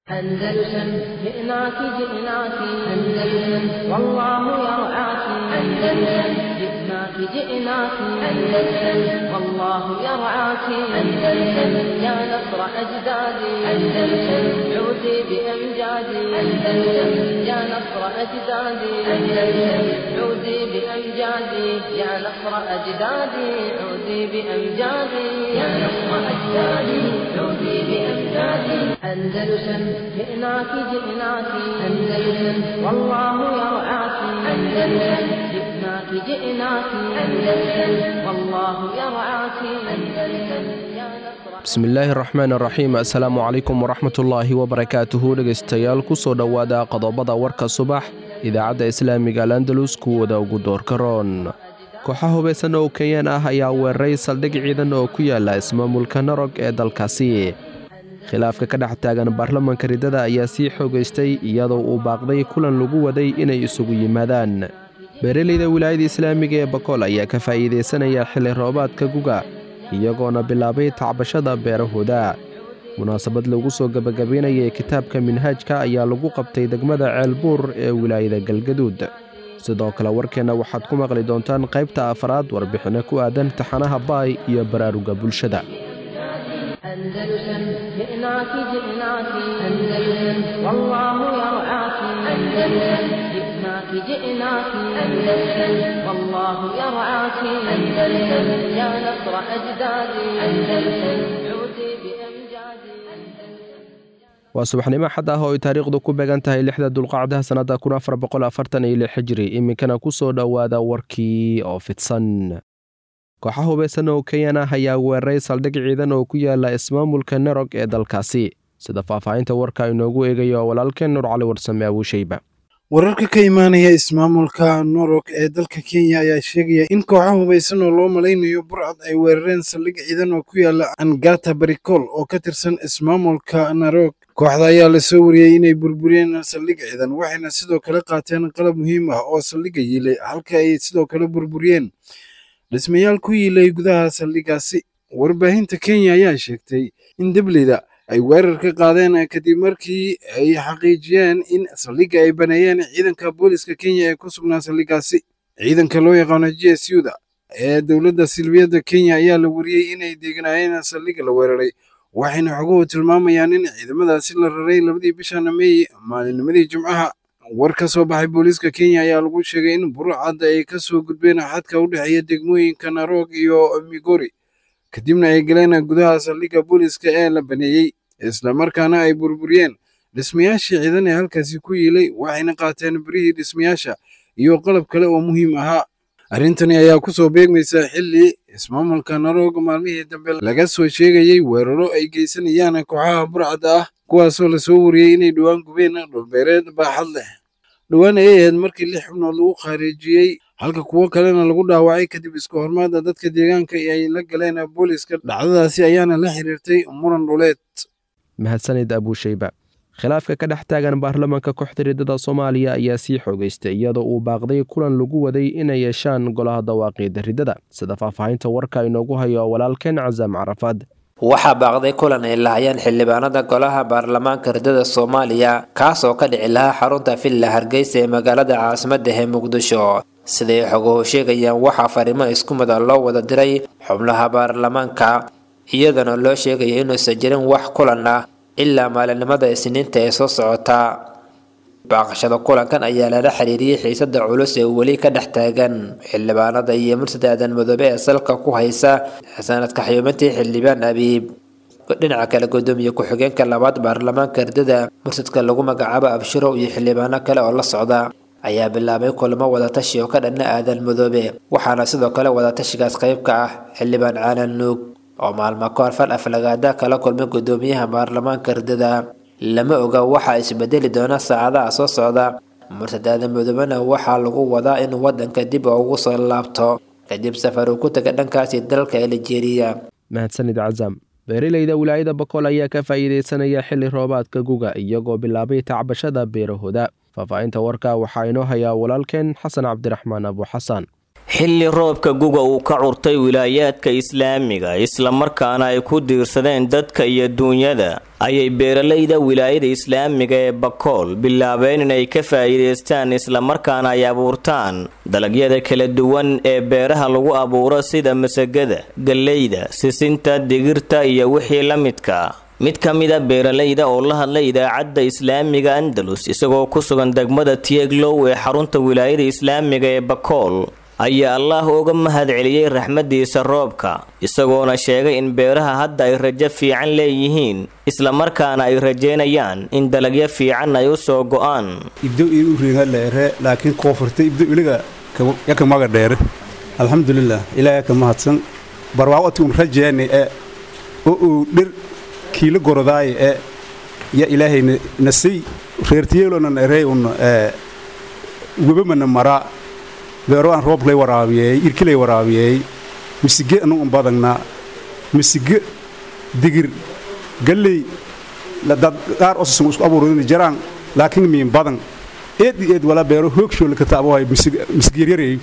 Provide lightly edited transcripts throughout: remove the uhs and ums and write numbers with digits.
أندلسن جئناك جئناك أندلسن والله يرعاك. أندلسن جئناك جئناك أندلسن والله يرعاك. أندلسن يا نصر أجدادي. أندلسن عودي بأمجادي. أندلسن يا نصر أجدادي. أندلسن عودي بأمجادي يا نصر أجدادي. عودي بأمجادي يا نصر أجدادي. عودي بأمجادي. أندلسن جئناك جئناك أندلسن والله يرعاك. أندلسن جئناك جئناك أندلسن والله يرعاك. أندلسن يا نصر. Bismillaahi raxmaan raxiim. Assalaamu calaykum waraxmatullaahi wabarakaatuhu. Dhegaystayaal, kusoo dhowaada qodobada warka subax idaacadda islaamiga Al Andalus kuwooda ugu doorka roon. Kooxa hubaysan oo Kenyaan ah ayaa weeraray saldhig ciidan oo ku yaala ismaamulka Narog ee dalkaasi. Khilaafka ka dhex taagan baarlamanka ridada ayaa sii xoogaystay, iyadoo uu baaqday kulan lagu waday inay isugu yimaadaan. Beeraleyda wilaayada islaamiga ee Bakool ayaa ka faa'iidaysanaya xilli roobaadka guga, iyagoona bilaabay tacbashada beerahooda. Munaasabad lagu soo gebagabaynayay kitaabka Minhaajka ayaa lagu qabtay degmada Ceelbuur ee wilaayada Galgaduud. Sidoo kale warkeenna waxaad ku maqli doontaan qaybta afraad warbixinno ku aadan taxanaha Baay iyo baraaruga bulshada. أندلسن جئناك جئناك أندلسن والله يرعاك. أندلسن جئناك جئناك أندلسن والله يرعاك. أندلسن يا نصر أجدادي. أندلسن عودي بأمجادي. أندلسن. Waa subaxnimo xad ah oo ay taariikhdu ku beegan tahay 6-da Dulqacdaha sannadda 1446 xijri. Iminkana ku soo dhowaada warkii oo fidsan. Kooxa hubaysan oo Kenyan ah ayaa weeraray saldhig ciidan oo ku yaala ismaamulka Narog ee dalkaasi. Sida faahfaahinta warka inoogu eegayo walaalkeen Nuur Cali Warsame Abuushayba. Wararka ka imaanaya ismaamulka Norok ee dalka Kenya ayaa sheegaya in kooxo hubaysan oo loo malaynayo burcad ay weerareen saldhig ciidan oo ku yaala Angata Barikol oo ka tirsan ismaamulka Narok. Kooxda ayaa lasoo wariyey inay burburiyeen saldhig ciidan, waxayna sidoo kale qaateen qalab muhiim ah oo saldhigga yiilay, halka ay sidoo kale burburiyeen dhismayaal ku yiilay gudaha saldhiggaasi. Warbaahinta Kenya ayaa sheegtay in debleyda ay weerar ka qaadeen kadib markii ay xaqiijiyeen in saldhigga ay baneeyeen ciidanka booliska Kenya ee ku sugnaa saldhiggaasi. Ciidanka loo yaqaano GSU-da ee dowladda silbiyadda Kenya ayaa la wariyey inay deegnaayeen saldhigga la weeraray, waxayna xoguhu tilmaamayaan in ciidamadaasi la raray 2-dii bishan Meey, maalinimadii Jimcaha. War ka soo baxay booliiska Kenya ayaa lagu sheegay in burcadda ay ka soo gudbeen xadka u dhexeeya degmooyinka Narok iyo Migori, kadibna ay galeen gudaha saldhigga booliiska ee la baneeyey, islamarkaana ay burburiyeen dhismayaashii ciidan ee halkaasi ku yiilay, waxayna qaateen birihii dhismayaasha iyo qalab kale oo muhiim ahaa. Arrintani ayaa kusoo beegmaysa xilli ismaamulka Narog maalmihii dambe laga soo sheegayey weeraro ay geysanayaan kooxaha burcadda ah, kuwaasoo lasoo wariyey inay dhowaan gubeen dhulbeereed baaxad leh. Dhowaan ayay ahayd markii 6 xubnood lagu khaarijiyey, halka kuwo kalena lagu dhaawacay, kadib iska hormaada dadka deegaanka ay la galeen booliiska. Dhacdadaasi ayaana la xiriirtay muran dhuleed. Mahadsanid Abuushayba. Khilaafka ka dhex taagan baarlamanka kooxda ridada Soomaaliya ayaa sii xoogaystay, iyadoo uu baaqday kulan lagu waday inay yeeshaan golaha dawaaqiida ridada. Sida faahfaahinta warka inoogu hayo walaalkeen Casaam Carafaad. Waxaa baaqday kulan ay lahayeen xildhibaanada golaha baarlamaanka ridada Soomaaliya, kaas oo ka dhici lahaa xarunta Villa Hargeysa ee magaalada caasimadda ee Muqdisho. Siday xoguhu sheegayaan, waxaa fariimo isku mid ah loo wada diray xubnaha baarlamaanka, iyadana loo sheegaya inuusan jirin wax kulan ah ilaa maalinimada Isniinta ee soo socota. Baaqashada kulankan ayaa lala xiriiriyey xiisada culus ee weli ka dhex taagan xildhibaanada iyo Murtad Aadan Madoobe ee salka ku haysa sanadka xayuumintii xildhibaan Abiib. Dhinaca kale, gudoomiye ku-xigeenka labaad baarlamaanka ridada, murtadka lagu magacaabo Abshirow, iyo xildhibaano kale oo la socda ayaa bilaabay kulamo wadatashi oo ka dhanna Aadan Madoobe, waxaana sidoo kale wadatashigaas qayb ka ah xildhibaan Caalan Nuug oo maalmo kahor fal aflagaada kala kulmay gudoomiyaha baarlamaanka ridada. Lama oga waxaa isbedeli doona saacadaha soo socda. Murtad Aadan Madoobena waxaa lagu wadaa inuu wadanka dib ugu soo laabto kadib safar uu ku taga dhankaasi dalka Aljeeriya. Mahadsanid Casaam. Beeraleyda wilaayada Bakool ayaa ka faa'iidaysanaya xilli roobaadka guga, iyagoo bilaabay tacbashada beerahooda. Faahfaahinta warka waxaa inoo hayaa walaalkeen Xasan Cabdiraxmaan Abu Xasan. Xilli roobka guga uu ka curtay wilaayaadka islaamiga, islamarkaana ay ku diirsadeen dadka iyo duunyada, ayay beeralayda wilaayada islaamiga ee Bakool bilaabeen inay ka faa'iidaystaan, islamarkaana ay abuurtaan dalagyada kala duwan ee beeraha lagu abuuro sida masagada, galleyda, sisinta, digirta iyo wixii la midka. Mid ka mid a beeralayda oo la hadlay idaacadda islaamiga Andalus isagoo ku sugan degmada Tieglow ee xarunta wilaayada islaamiga ee Bakool ayaa Allaah uga mahad celiyey raxmadiisa roobka, isagoona sheegay in beeraha hadda ay rajo fiican leeyihiin, islamarkaana ay rajeynayaan in dalagyo fiican ay u soo go'aan. Ibdo iyo uriinga leere, laakiin koonfurta ibdo iliga yaka maga dheere. Alxamdulilah, Ilaahay ka mahadsan. Barwaaqo un rajeeni ee oo uu dhir kiilo gorodaay ee ya Ilaahay nasay reertiyeelona erey un ee webamana maraa beero aan roob lay waraabiyey, irki lay waraabiyey, misige anu un badanna, misige, digir, galley dad qaar osasan isku abuurin jaraan, laakiin miin badan eed iyo eed wala beero hoogshool ka taabohay misig yaryarey.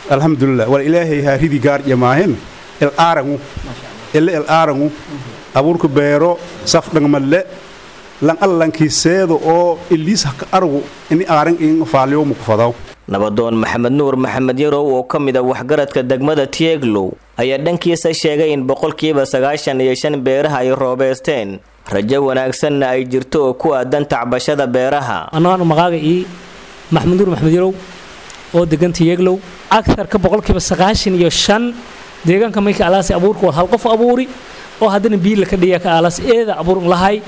Alxamdulilah, wala Ilaahay haa ridi gaar jamaahin el aarangu ele el aarangu abuurka beero saf dhangmalle lan allankiiseedo oo iliis haka argu ini aaran in faaliyo muku fadaw. Nabadoon Maxamed Nuur Maxamed Yarow oo ka mid a waxgaradka degmada Tieglow ayaa dhankiisa sheegay in 95% beeraha ay roobeysteen, rajo wanaagsanna ay jirto oo ku aadan tacbashada beeraha. Anaan magaaga ii Maxamed Nuur Maxamed Yarow oo degan Tieglow, agarka 95% deegaanka mayka alaasi abuurka waa hal qof abuuri oo haddana biila ka dhiya ka aalaas eeda abuur lahay.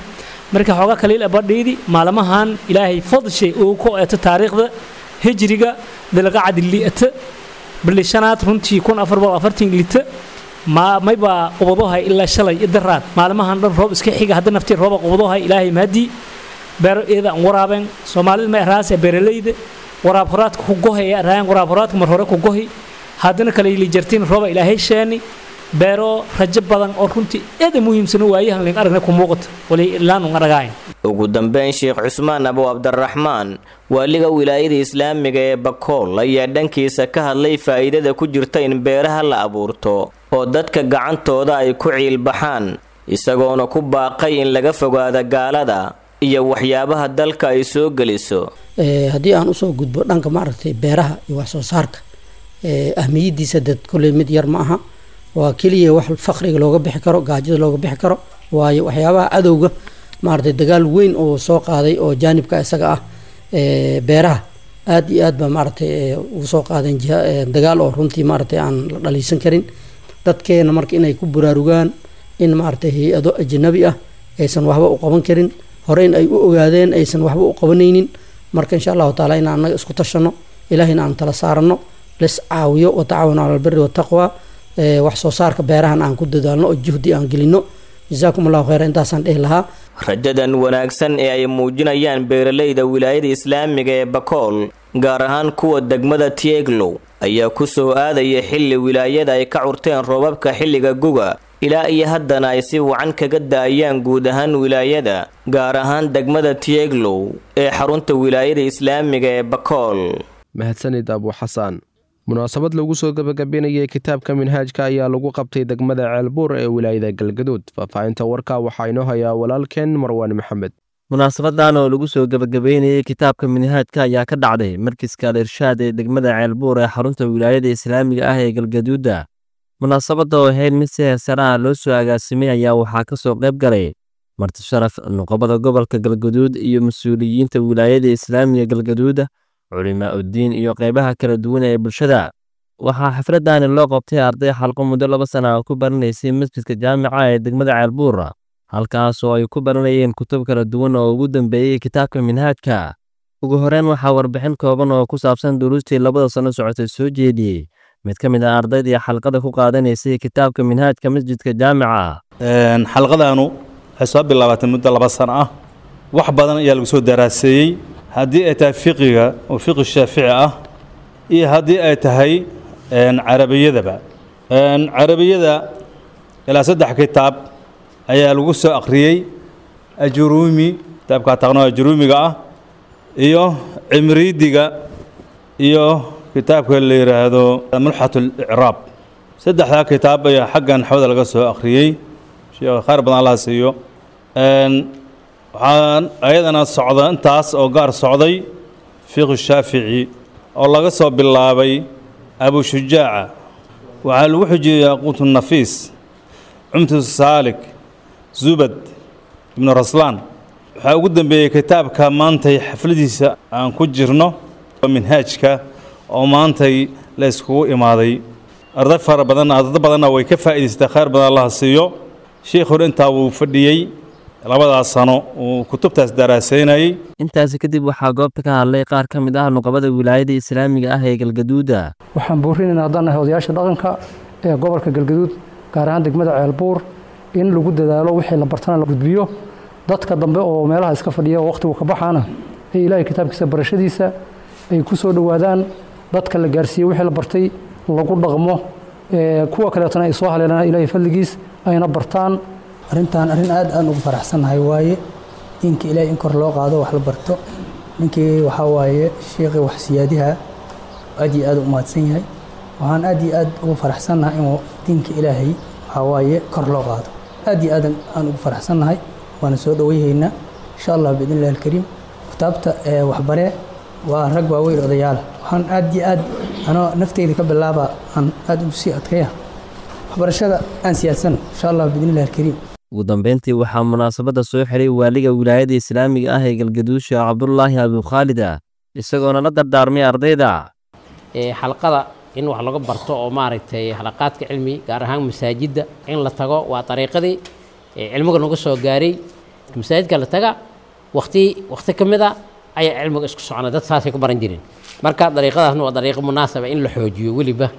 Marka xoogaa kaliil abadhiidi maalmahan Ilaahay fadshay uu ku eeto taariikhda hijriga dalqacad li'ata bilishanaad runtii 1440 lita mayba qubadohay ilaa shalay idaraad. Maalmahan dhan roob iska xiga, hadda naftii rooba qubadohay. Ilaahay mahadii, beero eeda aan waraabeen. Soomaalida ma eraas beeralayda waraab horaadka ku gohay ee raayaan waraab horaadka mar hore ku gohi, haddana kale ili jartiin rooba Ilaahay sheeni beero rajo badan oo runtii aad muhiimsan waayahan leen aragna ku muuqato wali ilaan un aragayn. Ugu dambeyn, Sheekh Cusmaan Abu Cabdiraxmaan, waaliga wilaayada islaamiga ee Bakool, ayaa dhankiisa ka hadlay faa'iidada ku jirta in beeraha la abuurto oo dadka gacantooda ay ku ciilbaxaan, isagoona ku baaqay in laga fogaado gaalada iyo waxyaabaha dalka ay soo geliso. Haddii aan usoo gudbo dhanka maaragtay beeraha iyo wax soo saarka, ahmiyadiisa dad kolley mid yar ma aha. Waa keliya wax faqriga looga bixi karo, gaajada looga bixi karo, waayo waxyaabaha cadowga maaragtay dagaal weyn oo soo qaaday oo jaanibka isaga ah beeraha aad iyo aad ba maaragtay ugu soo qaadeen jiha dagaal oo runtii maaragtay aan la dhaliisan karin. Dadkeena marka inay ku buraarugaan in maaragtay hay-ado ajnabi ah aysan waxba u qaban karin, horeyn ay u ogaadeen aysan waxba u qabanaynin. Marka insha Allahu taala inaan annaga isku tashano, Ilaahayna aan tala saarano, lis caawiyo, watacaawanu cala albiri wataqwa, wax soo saarka beerahan aan ku dadaalno oo juhdi aan gelino. Jazaakum Allahu khayra, intaasaan dhihi lahaa. Rajadan wanaagsan ee ay muujinayaan beeralayda wilaayada islaamiga ee Bakool, gaar ahaan kuwa degmada Tieglow, ayaa ku soo aadaya xilli wilaayada ay ka curteen roobabka xilliga guga, ilaa iyo haddana ay si wacan kaga da'ayaan guud ahaan wilaayada, gaar ahaan degmada Tieglow ee xarunta wilaayada islaamiga ee Bakool. Mahadsanid, Abu Xasaan. Munaasabad lagu soo gabagabeynayay kitaabka Minhaajka ayaa lagu qabtay degmada Ceelbuur ee wilaayada Galgaduud. Faahfaahinta warka waxaa inoo hayaa walaalkeen Marwaan Maxamed. Munaasabadan oo lagu soo gabagabeynayay kitaabka Minhaajka ayaa ka dhacday markiska Al Irshaad ee degmada Ceelbuur ee xarunta wilaayada islaamiga ah ee Galgaduuda. Munaasabadda oo ahayd mid si heesare ah loo soo agaasimay ayaa waxaa ka soo qayb galay marti sharaf, nuqabada gobolka Galgaduud iyo mas-uuliyiinta wilaayada islaamiga Galgaduuda, culimaa uddiin iyo qaybaha kala duwan ee bulshada. Waxaa xafladani loo qabtay arday xalqo muddo 2 sana ah ku baranaysay masjidka jaamica ee degmada Ceelbuur, halkaas oo ay ku baranayeen kutub kala duwan oo ugu dambeeyey kitaabka Minhaajka. Ugu horeyn, waxaa warbixin kooban oo ku saabsan duruustii 2da sano socotay soo jeediyey mid ka mid ah ardaydii xalqada ku qaadanaysay kitaabka Minhaajka masjidka jaamica. Xalqadaanu waxay soo bilaabatay muddo 2 sano ah. Wax badan ayaa lagu soo daraaseeyey, haddii ay tahay fiqiga oo fiqi Shaafici ah iyo haddii ay tahay carabiyadaba. Carabiyada ilaa saddex kitaab ayaa lagu soo akhriyey: Ajuruumi, kitaabka taqno Ajuruumiga ah, iyo Cimriidiga, iyo Kitaabka la yidhaahdo Mulxat Alicraab. Saddexdaa kitaab ayaa xagga naxwada laga soo akhriyey. Sheekh khayr badan Allah siiyo. Waxaan ayadana socda intaas oo gaar socday fiqhu Shaafici oo laga soo bilaabay Abu Shujaaca, waxaa lagu xujiyey Yaquutu Nafiis, Cumtu Saalik, Zubad Ibnu Raslaan. Waxaa ugu dambeeyey kitaabka maantay xafladiisa aan ku jirno, Minhaajka, oo maantay la iskugu imaaday. Arday fara badan, arday badanna way ka faa'iidaystay. Khayr badan Allah siiyo. Shiikhuna intaa wuu fadhiyey labadaas sano uu kutubtaas daraasaynayey. Intaasi kadib waxaa goobta ka hadlay qaar ka mid ah nuqabada wilaayada islaamiga ah ee Galgaduuda. Waxaan boorinaynaa haddaan nahay odayaasha dhaqanka ee gobolka Galgaduud, gaar ahaan degmada Ceelbuur, in lagu dadaalo wixii la bartana la gudbiyo, dadka dambe oo meelaha iska fadhiya oo waqtigu ka baxaana ee Ilaahay kitaabkiisa barashadiisa ay ku soo dhowaadaan, dadka la gaarsiiye wixii la bartay lagu dhaqmo, kuwa kaleetana ay soo haleelaan Ilaahay fadligiis ayna bartaan. Arrintan arrin aad aan ugu faraxsannahay waaye, diinka Ilaahay in kor loo qaado, wax la barto. Ninkii waxaa waaye sheekhi wax siyaadiha aad iyo aad u mahadsan yahay. Waxaan aad iyo aad ugu faraxsannahay inuu diinka Ilaahay waxaa waaye kor loo qaado. Aad iyo aad aan ugu faraxsannahay, waana soo dhoweyhaynaa insha Allah biidni illahi alkariim. Kitaabta waxbaree waa rag waaweyn, odayaala. Waxaan aad iyo aad anoo nafteyda ka bilaaba aan aad ugu sii adkaya waxbarashada aan siyaadsano insha Allah biidni illahi alkariim. Ugu dambeyntii waxaa munaasabadda soo xiray waaliga wilaayada islaamiga ah ee Galgaduud, Sheekh Cabdulaahi Abukhaalida, isagoona la dardaarmay ardayda. Xalqada in wax laga barto oo maaragtay xalaqaadka cilmi, gaar ahaan masaajidda in la tago, waa dariiqadii cilmiga nagu soo gaaray. Masaajidka la taga waqti waqti ka mid a ayaa cilmiga isku socona, dad saasay ku baran jireen. Marka dariiqadaasna waa dariiqo munaasaba in la xoojiyo, weliba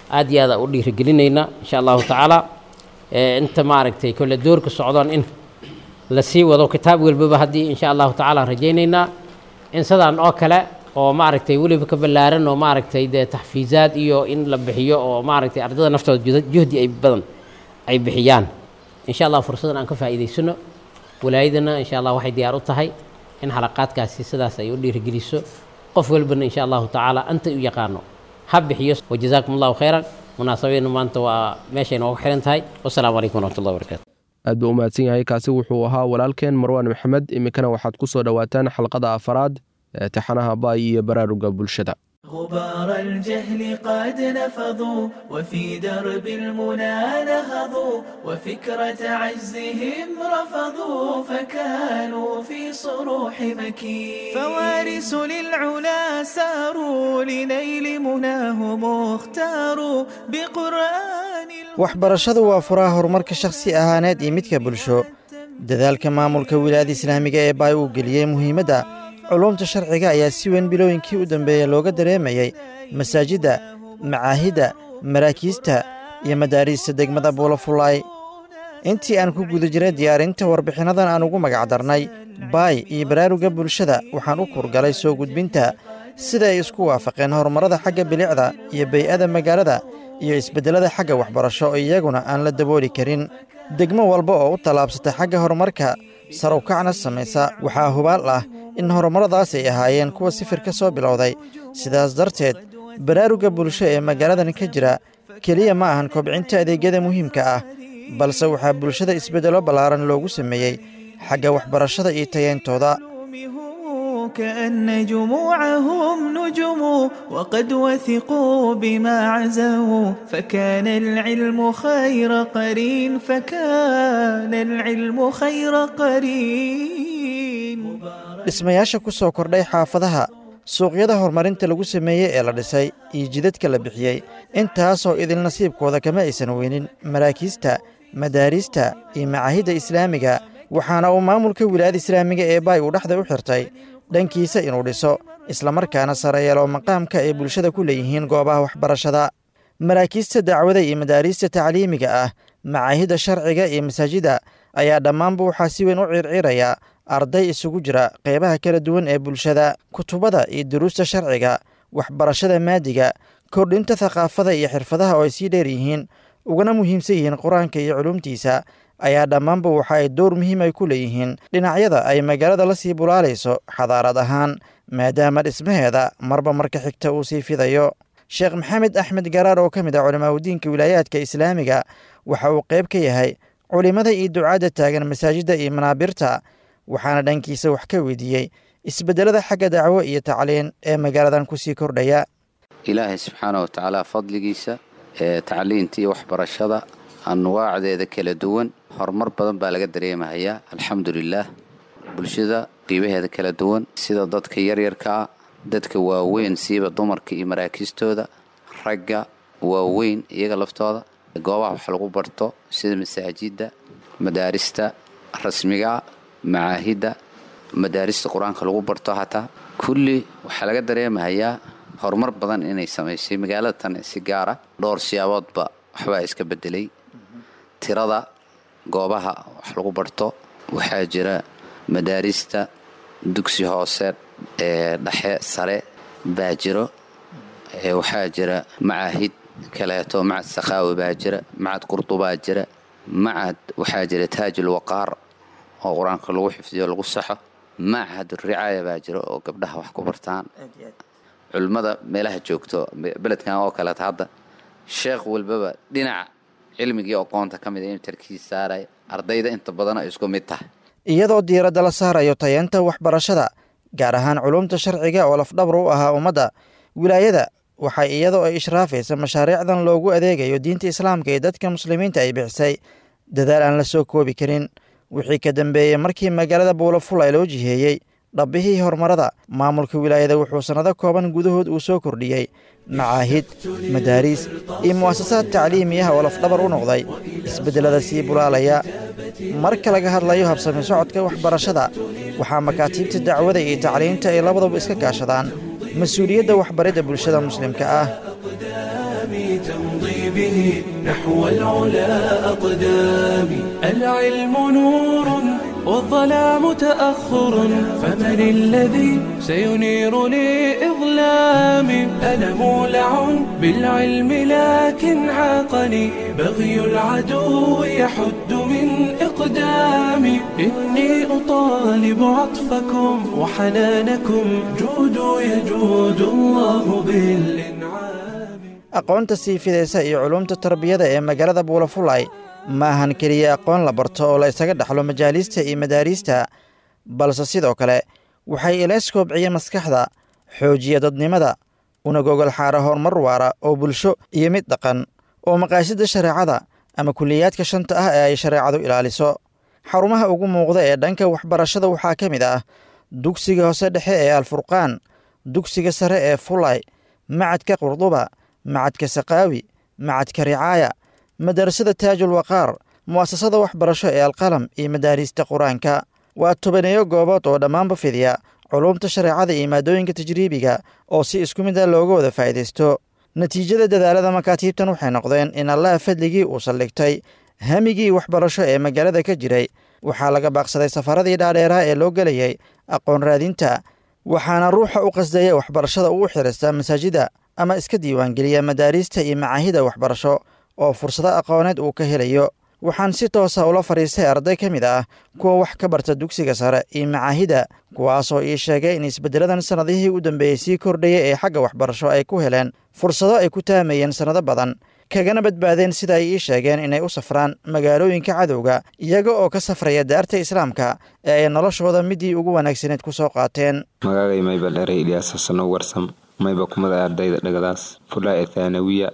aad iyo aad u dhiirigelinayna insha Allahu tacaala. Inta maaragtay kole doorka socdaan in la sii wado kitaab walbaba haddii insha Allahu tacaala rajaynaynaa in sidaan oo kale oo maaragtay weliba ka ballaaran oo maaragtay dee taxfiizaad iyo in la bixiyo oo maaragtay ardada naftooda juhdi ay badan ay bixiyaan insha Allah. Fursadan aan ka faa'iidaysano, walaayadana insha Allah waxay diyaar u tahay in xalaqaadkaasi sidaas ay u dhiirigeliso. Qof walbana insha Allahu tacaala anta u yaqaano ha bixiyo. Wajazaakum Allahu khayran. Munaasabadeenu maanta waa meeshay noogu xiran tahay. Wasalaamu calaykum waraxmatullahi wabarakaatu. Aad buu u mahadsan yahay, kaasi wuxuu ahaa walaalkeen Marwaan Maxamed. Iminkana waxaad ku soo dhowaataan xalqada afaraad ee taxanaha Baay iyo baraaruga bulshada. غبار الجهل قد نفضوا، وفي درب المنى نهضوا، وفكرة عجزهم رفضوا، فكانوا في صروح مكين. فوارث للعلا ساروا، لنيل مناهم اختاروا بقرآن. Waxbarashadu waa furaha horumarka shakhsi ahaaneed iyo midka bulsho. Dadaalka maamulka wilaayada islaamiga ee Baay uu geliyey muhiimadda culuumta sharciga ayaa si weyn bilooyinkii u dambeeyey looga dareemayey masaajidda, macaahidda, maraakiista iyo madaariista degmada Buulafulaay. Intii aan ku guda jiray diyaarinta warbixinnadan aan ugu magac darnay Baay iyo baraaruga bulshada, waxaan u kurgalay soo gudbinta sida ay isku waafaqeen horumarrada xagga bilicda iyo bay-ada magaalada iyo isbeddellada xagga waxbarasho oo iyaguna aan la dabooli karin. Degmo walba oo u tallaabsata xagga horumarka, sarowkacna samaysa, waxaa hubaal ah in horumarradaas ay ahaayeen kuwa sifir ka soo bilowday. Sidaas darteed baraaruga bulsho ee magaaladan ka jira keliya ma ahan kobcinta adeegyada muhiimka ah, balse waxaa bulshada isbeddello ballaaran loogu sameeyey xagga waxbarashada iyo tayeyntooda. كأن جموعهم نجم، وقد وثقوا بما عزوا، فكان العلم خير قرين، فكان العلم خير قرين. Dhismayaasha ku soo kordhay xaafadaha, suuqyada horumarinta lagu sameeyey ee la dhisay iyo jidadka la bixiyey, intaasoo idil nasiibkooda kama aysan weynin maraakiista, madaariista iyo macaahidda islaamiga. Waxaana uu maamulka wilaayada islaamiga ee Baay uu dhexda u xirtay dhankiisa inuu dhiso islamarkaana sare yeelo maqaamka ay bulshada ku leeyihiin goobaha waxbarashada, maraakiista dacwada iyo madaariista tacliimiga ah, macaahidda sharciga iyo masaajida ayaa dhammaanba waxaa si weyn u circiraya arday isugu jira qeybaha kala duwan ee bulshada. Kutubada iyo duruusta sharciga, waxbarashada maadiga, kordhinta thaqaafada iyo xirfadaha oo ay sii dheer yihiin ugana muhiimsan yihiin Qur-aanka iyo culuumtiisa ayaa dhammaanba waxa ay door muhiim ay ku leeyihiin dhinacyada ay magaalada la sii bulaalayso xadaarad ahaan, maadaama dhismaheeda marba marka xigta uu sii fidayo. Sheekh Maxamed Axmed Garaar oo ka mid ah culimaadudiinka wilaayaadka islaamiga waxa uu qayb ka yahay culimada iyo ducaadda taagan masaajidda iyo manaabirta, waxaana dhankiisa wax ka weydiiyey isbeddelada xagga dacwo iyo tacliin ee magaaladan kusii kordhaya. Ilaahay subxaana wa tacaala fadligiisa ee tacliinta iyo waxbarashada anwaacdeeda kala duwan horumar badan baa laga dareemahayaa, alxamdulilaah. Bulshada qiibaheeda kala duwan sida dadka yaryarkaa, dadka waaweyn, siiba dumarka iyo maraakiistooda, ragga waaweyn iyaga laftooda, goobaha wax lagu barto sida masaajidda, madaarista rasmiga, macaahidda, madaarista qur-aanka lagu barto, hataa kulli waxaa laga dareemahayaa horumar badan inay samaysay magaalada tan. Si gaara dhowr siyaaboodba waxbaa iska bedelay tirada goobaha wax lagu barto. Waxaa jira madaarista dugsi hoose ee dhexe sare baa jiro, waxaa jira macaahid kaleeto, macad Sakhaawi baa jira, macad Qurdubaa jira, macad waxaa jira Taajul Waqaar oo qur-aanka lagu xifdiyo lagu saxo, machad Ricaaya baa jira oo gabdhaha wax ku bartaan. Culimmada meelaha joogto beledkan oo kaleeto hadda sheekh walbaba dhinaca cilmigii aqoonta ka mid a inuu tarkiis saaray, ardayda inta badan ay isku mid tahay. Iyadoo diiradda la saarayo tayeenta waxbarashada, gaar ahaan culumta sharciga oo lafdhabar u ahaa ummadda, wilaayada waxay iyadoo ay ishraafaysa mashaariicdan loogu adeegayo diinta islaamka ee dadka muslimiinta ay bixisay dadaal aan la soo koobi karin. Wixii ka dambeeyey markii magaalada Buulafulay loo jiheeyey dhabbihii horumarada, maamulka wilaayada wuxuu sannado kooban gudahood uu soo kordhiyey macaahid, madaariis iyo mu'asasaad tacliimi ah oo lafdhabar u noqday isbeddelada sii bulaalaya. Marka laga hadlayo habsami socodka waxbarashada, waxaa makaatiibta dacwada iyo tacliinta ay labadaba iska kaashadaan mas-uuliyadda waxbaridda bulshada muslimka ah. تمضي به نحو العلا أقدامي، العلم نور والظلام تأخر، فمن الذي سينير لي إظلامي؟ أنا مولع بالعلم لكن عاقني بغي العدو يحد من إقدامي. إني أطالب عطفكم وحنانكم، جودوا يجود الله بالإنعام. Aqoonta sii fidaysa iyo culumta tarbiyada ee magaalada Buulafulay ma ahan keliya aqoon la barto oo la isaga dhexlo majaaliista iyo madaariista, balse sidoo kale waxay ilays koobciya maskaxda, xoojiya dadnimada, una gogol xaara horumar waara oo bulsho iyo mid dhaqan oo maqaasida shareecada ama kuliyaadka shanta ah ee ay shareecadu ilaaliso. Xarumaha ugu muuqda ee dhanka waxbarashada waxaa ka mid ah dugsiga hoose dhexe ee Alfurqaan, dugsiga sare ee Fulay, macadka Qurduba, macadka Saqaawi, macadka Ricaaya, madarasada Taajul Waqaar, mu'asasada waxbarasho ee Alqalam iyo madaariista qur-aanka. Waa tobaneeyo goobood oo dhammaanba fidiya culumta shareecada iyo maadooyinka tajriibiga oo si isku mid ah looga wada faa'iidaysto. Natiijada dadaalada makaatiibtan waxay noqdeen in Allaha fadligii uu saldhigtay hamigii waxbarasho ee magaalada ka jiray. Waxaa laga baaqsaday safaradii dhaadheeraa ee loo gelayay aqoon raadinta, waxaana ruuxa u qasdaya waxbarashada uu xirista masaajida ama iska diiwaangeliya madaariista iyo macaahida waxbarasho oo fursado aqooneed uu ka helayo. Waxaan si toosa ula fadhiistay arday ka mid ah kuwa wax ka barta dugsiga sare iyo macaahida, kuwaasoo ii sheegay in isbeddeladan sannadihii u dambeeyey sii kordhayay ee xagga waxbarasho ay ku heleen fursado ay ku taamayeen sannado badan, kagana badbaadeen sida ay ii sheegeen inay u safraan magaalooyinka cadowga, iyaga oo ka safraya daarta islaamka ee ay noloshooda midii ugu wanaagsaneed ku soo qaateen. Magaagay maybal erey Ilyaas Xasano Warsam, mayba kumada ardayda dhagadaas Fulay ee thaanawiya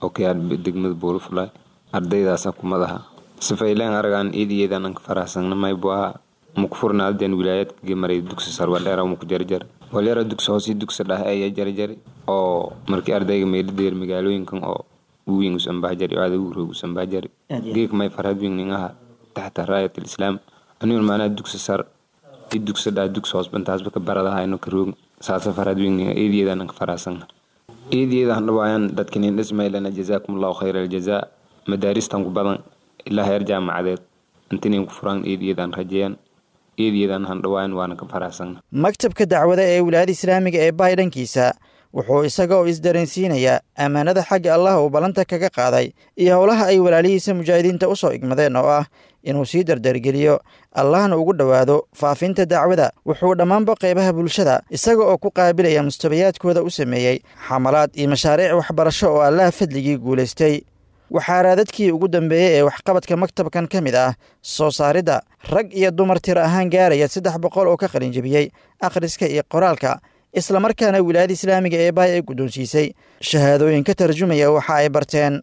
oo ka yaal degmada Buulo Fulay, ardaydaasa kumadaha sifayleen aragaan iidiyeedan anka faraxsangna. Maybu aha mukfurnaadeen wilaayadka gemaray dugsi sar waldheera muku jarjar walyara dugsi hoosii dugsi dhah ayaa jarjari oo markii ardayga meeladeer magaalooyinkan oo uwiin usanbaajari oo adagu roog usanbaajari geek may farhad wingning aha taxta raayat alislaam anigun macnaha dugsi sar i dugsi dhah dugsi hoos bantaasba ka baradaha ino ka roog saasa farhad wingning iidiyeedan anka faraxsangna. Iidiyeedan dhawaayaan dadkinin dhismaylana jazaakum allahu khayra aljazaa. Madaaristan ku badan ilaa heer jaamacadeed intinin ku furaan iidiyeedan rajeeyaan, iidiyeedan handhawaayan waana ka faraxsangna. Maktabka dacwada ee wilaayada islaamiga ee Baay dhankiisa Wuxuu isaga oo isdareensiinayaa ammaanada xagga Allah uu ballanta kaga qaaday iyo howlaha ay walaalihiisa mujaahidiinta u soo igmadeen oo ah inuu sii dardargeliyo, Allahna ugu dhowaado faafinta dacwada. Wuxuu dhammaanba qaybaha bulshada isaga oo ku qaabilaya mustabayaadkooda u sameeyey xamalaad iyo mashaariic waxbarasho oo Allaha fadligii guulaystay. Waxaa raadadkii ugu dambeeyey ee waxqabadka maktabkan ka mid ah soo saaridda rag iyo dumar tir ahaan gaaraya 300 oo ka qalinjebiyey akhriska iyo qoraalka, islamarkaana wilaayada islaamiga ee Baay ay guddoonsiisay shahaadooyin ka tarjumaya waxa ay barteen.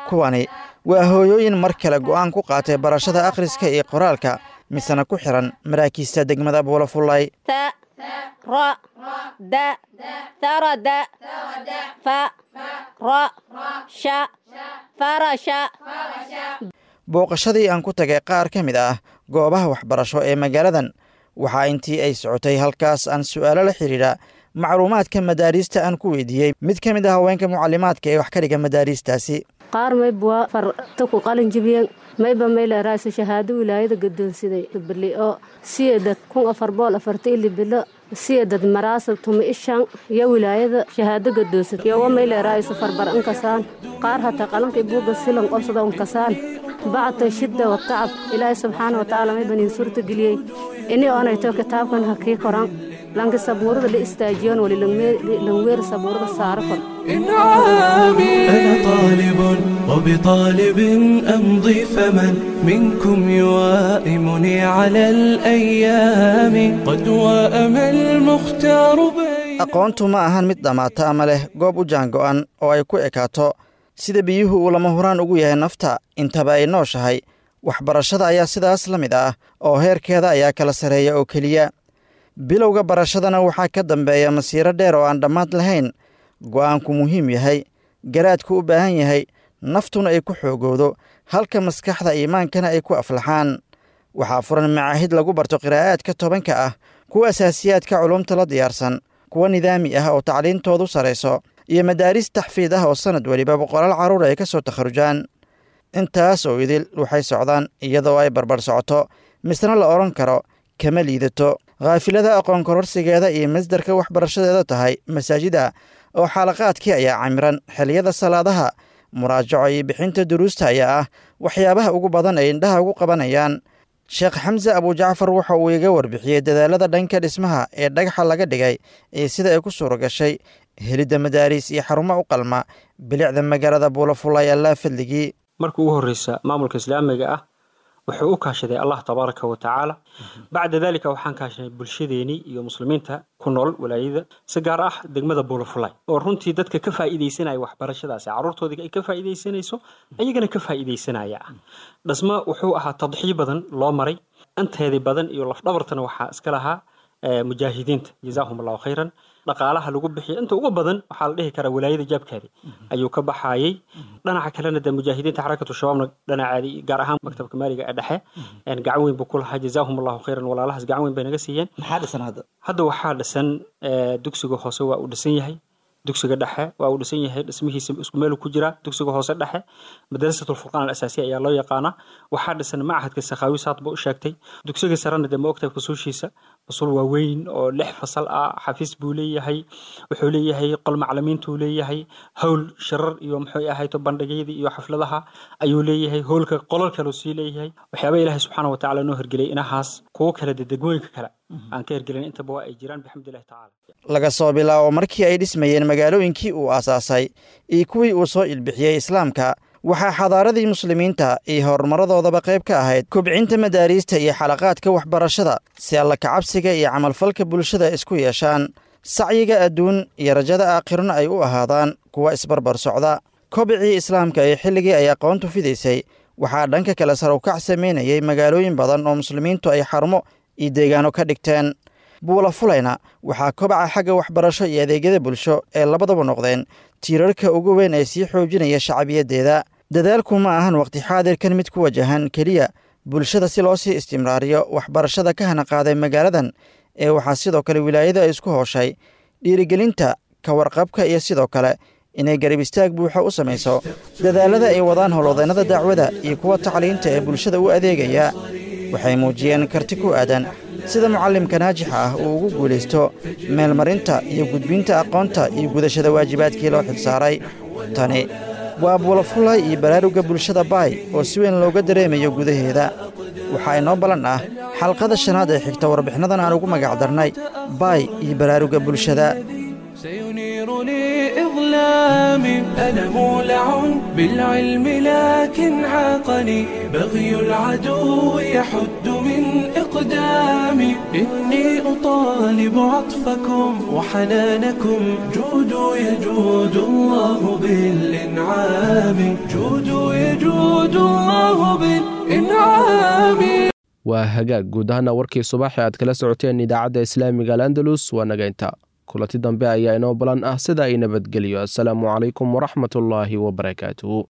Kuwani waa hooyooyin mar kale go'aan ku qaatay barashada akhriska iyo qoraalka, misena ku xiran maraakiista degmada Buulafullay. Booqashadii aan ku tagay qaar ka mid ah goobaha waxbarasho ee magaaladan, waxaa intii ay socotay halkaas aan su'aalo la xidhiidha macluumaadka madaariista aan ku weydiiyey mid ka mid ah haweenka mucalimaadka ee wax ka dhiga madaariistaasi. Qaar mayba waa farta ku qalin jibiyeen, mayba mayleeraayso shahaado wilaayada gadoonsiday bili oo siyadad 1440 bilo siyadad maraasab 15 iyo wilaayada shahaado gadoonsad yowa mayleeraayso farbar ankasaan qaar hataa qalanka buuga silan qobsada unkasaan bacda shidda watacab. Ilaahay subxaana watacaala mayban in suurta geliyey ini oonayto kitaabkan hakii koran lanka sabuurada la istaajiyoon wali langweer sabuurada saaro kor. أنا طالب وبطالب أمضي، فمن منكم يوائمني على الأيام قد وأم المختار. Aqoontu ma ahan mid dhammaata ama leh goob u jaango'an oo ay ku ekaato. Sida biyuhu uu lama huraan ugu yahay nafta intaba ay nooshahay, waxbarashada ayaa sidaas la mid ah oo heerkeeda ayaa kala sarreeya oo keliya. Bilowga barashadana waxaa ka dambeeya masiiro dheer oo aan dhammaad lahayn. Go'aanku muhiim yahay, garaadku u baahan yahay, naftuna ay ku xoogowdo, halka maskaxda iimaankana ay ku aflaxaan. Waxaa furan macaahid lagu barto qiraa'aadka 10-ka ah, kuwa asaasiyaadka culumta la diyaarsan, kuwa nidaami ah oo tacliintoodu sarayso, iyo madaaris taxfiid ah oo sannad weliba boqolaal carruur ay ka soo takharujaan. Intaas oo idil waxay socdaan iyadoo ay barbar socoto, misna la odhan karo kama liidato khaafilada aqoon kororsigeeda iyo masdarka waxbarashadeeda tahay masaajida oo xalaqaadkii ayaa camiran xilliyada salaadaha. Muraajaco iyo bixinta duruusta ayaa ah waxyaabaha ugu badan ay indhaha ugu qabanayaan. Sheekh Xamse Abujacfar waxa uu iga warbixiyey dadaalada dhanka dhismaha ee dhagaxa laga dhigay iyo sida ay ku suura gashay helidda madaariis iyo xarumo u qalma bilicda magaalada Buulafulay Allaa fadligii. Markii ugu horreysa maamulka islaamiga ah wuxuu u kaashaday Allah tabaaraka wa tacaala. Bacda dalika waxaan kaashanay bulshadeenii iyo muslimiinta ku nool walaayada, si gaar ah degmada Buulafulay, oo runtii dadka ka faa'iidaysanaya waxbarashadaasi carruurtoodii ay ka faa'iidaysanayso, ayagana ka faa'iidaysanaya. Dhismo wuxuu ahaa tadxiyo badan loo maray, anteedii badan iyo lafdhabartana waxaa iska lahaa mujaahidiinta, jazaahum allahu khayran. Dhaqaalaha lagu bixiyo inta ugu badan waxaa la dhihi karaa walaayada jaabkeedi ayuu ka baxayay. Dhinaca kalena dee mujaahidiinta xarakatu shabaabna dhinaceedi, gaar ahaan maktabka maaliga ee dhexe, gacan weyn buu ku lahaa, jazaahum allahu khayran. Walaalahaas gacan weyn bay naga siiyeen. Maxaa dhisan hadda? Hadda waxaa dhisan dugsiga hoose waa uu dhisan yahay, dugsiga dhexe waa uu dhisan yahay, dhismihiisa isku meel ku jira. Dugsiga hoose dhexe madrasatul furqaan al asaasiya ayaa loo yaqaanaa. Waxaa dhisan machadka Sakhaawi saad buu u sheegtay. Dugsiga sarena dee ma ogtahay fusuushiisa, fasul waaweyn oo 6 fasal ah, xafiis buu leeyahay, wuxuu leeyahay qol macalimiintuu leeyahay, howl shirar iyo muxuu ahayto bandhigyadii iyo xafladaha ayuu leeyahay, howlka qolal kaleu sii leeyahay. Waxyaaba Ilaahay subxaana watacaala noo hirgeliyay inahaas, kuwo kale dee degmooyinka kale aan ka hirgelin intaba waa ay jiraan, bixamdillahi tacaala. Laga soo bilaabo markii ay dhismayeen magaalooyinkii uu aasaasay iyo kuwii uu soo ilbixiyey islaamka, waxaa xadaaradii muslimiinta iyo horumarradoodaba qayb ka ahayd kobcinta madaariista iyo xalaqaadka waxbarashada si alla kacabsiga iyo camalfalka bulshada isku yeeshaan, sacyiga adduun iyo rajada aakhirona ay u ahaadaan kuwa isbarbar socda. Kobcii islaamka iyo xilligii ay aqoontu fidaysay waxaa dhanka kale sarowkac samaynayay magaalooyin badan oo muslimiintu ay xarumo iyo deegaano ka dhigteen. Buulafulayna waxaa kobaca xagga waxbarasho iyo adeegyada bulsho ee labadaba noqdeen tiirarka ugu weyn ee sii xoojinaya shacbiyaddeeda. Dadaalku ma ahan waqti xaadirkan mid ku wajahan keliya bulshada si loo sii istimraariyo waxbarashada ka hana qaaday magaaladan, ee waxaa sidoo kale wilaayada ay isku hooshay dhiirigelinta ka warqabka iyo sidoo kale inay garab istaag buuxa u samayso dadaalada ay wadaan howlwadeennada dacwada iyo kuwa tacliinta ee bulshada u adeegaya. Waxay muujiyeen karti ku aadan sida mucallimka naajixa ah uu ugu guulaysto meelmarinta iyo gudbinta aqoonta iyo gudashada waajibaadkii loo xilsaaray. Tani waa Buulafulay iyo baraarugga bulshada Baay oo si weyn looga dareemayo gudaheeda. Waxaa inoo ballan ah xalqada shanaad ee xigta warbixinadan aan ugu magacdarnay Baay iyo baraarugga bulshada. سينير لي إظلامي. أنا مولع بالعلم لكن عاقني بغي العدو يحد من إقدامي. إني أطالب عطفكم وحنانكم، جودوا يجود الله بالإنعام، جودوا يجود الله بالإنعام. Waa hagaag. Guud ahaana warkii subaxee aad kala socoteen idaacadda islaamiga Al Andalus waa naga inta. Kulanti dambe ayaa inoo balan ah, sida ay nabadgeliyo. Assalaamu calaykum waraxmatullaahi wabarakaatuhu.